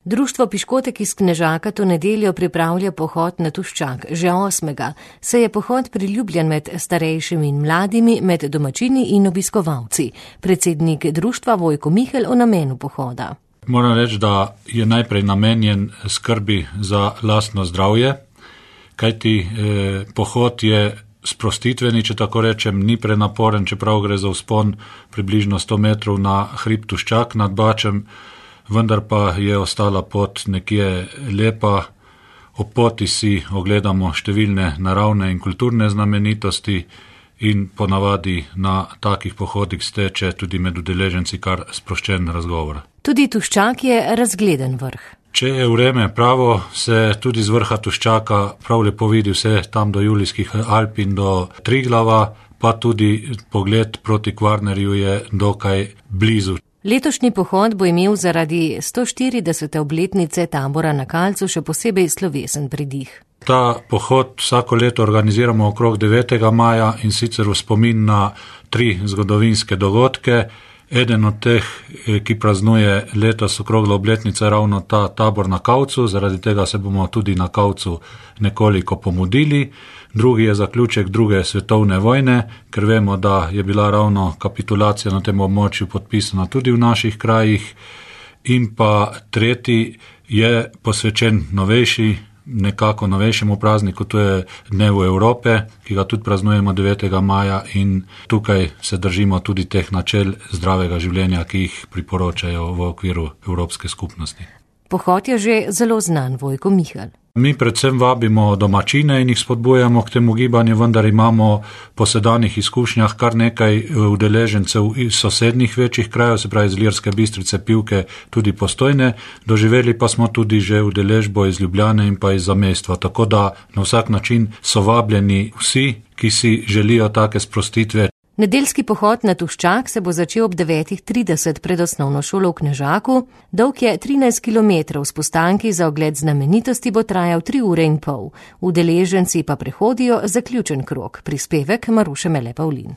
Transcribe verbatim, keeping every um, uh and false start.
Društvo Piškotek iz Knežaka to nedeljo pripravlja pohod na Tuščak, že osmega. Se je pohod priljubljen med starejšimi in mladimi, med domačini in obiskovalci. Predsednik društva Vojko Mihelj o namenu pohoda. Moram reči, da je najprej namenjen skrbi za lastno zdravje, kajti eh, pohod je sprostitveni, če tako rečem, ni prenaporen, čeprav gre za vzpon približno sto metrov na hrib Tuščak nad Bačem, vendar pa je ostala pot nekje lepa. Ob poti si ogledamo številne naravne in kulturne znamenitosti in ponavadi na takih pohodih steče tudi med udeleženci kar sproščen razgovor. Tudi Tuščak je razgleden vrh. Če je vreme pravo, se tudi z vrha Tuščaka prav lepo vidi vse tam do Julijskih Alp in do Triglava, pa tudi pogled proti Kvarnerju je dokaj blizu. Letošnji pohod bo imel zaradi sto štiridesete obletnice tabora na Kalcu še posebej slovesen pridih. Ta pohod vsako leto organiziramo okrog devetega maja in sicer v spomin na tri zgodovinske dogodke. Eden od teh, ki praznuje letos okroglo obletnice, ravno ta tabor na Kavcu, zaradi tega se bomo tudi na Kavcu nekoliko pomudili. Drugi je zaključek druge svetovne vojne, ker vemo, da je bila ravno kapitulacija na tem območju podpisana tudi v naših krajih. In pa tretji je posvečen novejši, nekako novejšemu prazniku, to je Dnevu Evrope, ki ga tudi praznujemo devetega maja in tukaj se držimo tudi teh načel zdravega življenja, ki jih priporočajo v okviru Evropske skupnosti. Pohod je že zelo znan, Vojko Mihelj. Mi predvsem vabimo domačine in jih spodbujamo k temu gibanju, vendar imamo po sedanjih izkušnjah kar nekaj udeležencev iz sosednjih večjih krajev, se pravi iz Ilirske Bistrice, Pivke, tudi Postojne. Doživeli pa smo tudi že udeležbo iz Ljubljane in pa iz zamestva, tako da na vsak način so vabljeni vsi, ki si želijo take sprostitve. Nedeljski pohod na Tuščak se bo začel ob devetih trideset pred osnovno šolo v Knežaku. Dolg je trinajst kilometrov, s postanki za ogled znamenitosti bo trajal tri ure in pol. Udeleženci pa prehodijo zaključen krog. Prispevek Maruše Mele Pavlin.